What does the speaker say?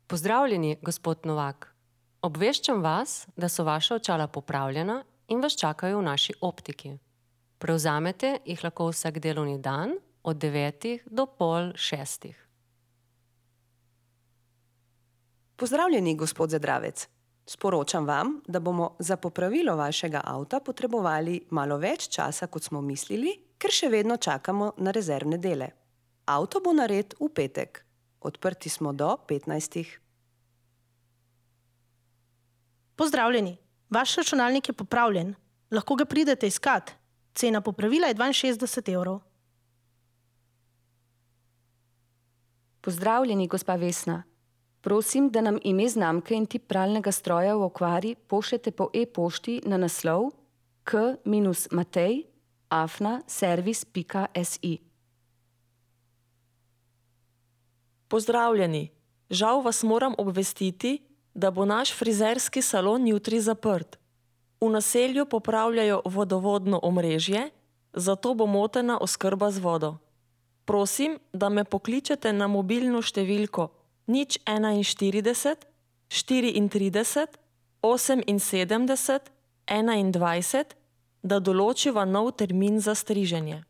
Pozdravljeni, gospod Novak. Obveščam vas, da so vaša očala popravljena in vas čakajo v naši optiki. Prevzamete jih lahko vsak delovni dan od 9 do pol 6. Pozdravljeni, gospod Zadravec. Sporočam vam, da bomo za popravilo vašega avta potrebovali malo več časa, kot smo mislili, ker še vedno čakamo na rezervne dele. Avto bo nared v petek. Odprti smo do 15. Pozdravljeni, vaš računalnik je popravljen. Lahko ga pridete iskat. Cena popravila je 62 evrov. Pozdravljeni, gospa Vesna. Prosim, da nam ime znamke in tip pralnega stroja v okvari pošljete po e-pošti na naslov k-matej@servis.si. Pozdravljeni, žal vas moram obvestiti, da bo naš frizerski salon jutri zaprt. V naselju popravljajo vodovodno omrežje, zato bo motena oskrba z vodo. Prosim, da me pokličete na mobilno številko 041 34 78 21, da določiva nov termin za striženje.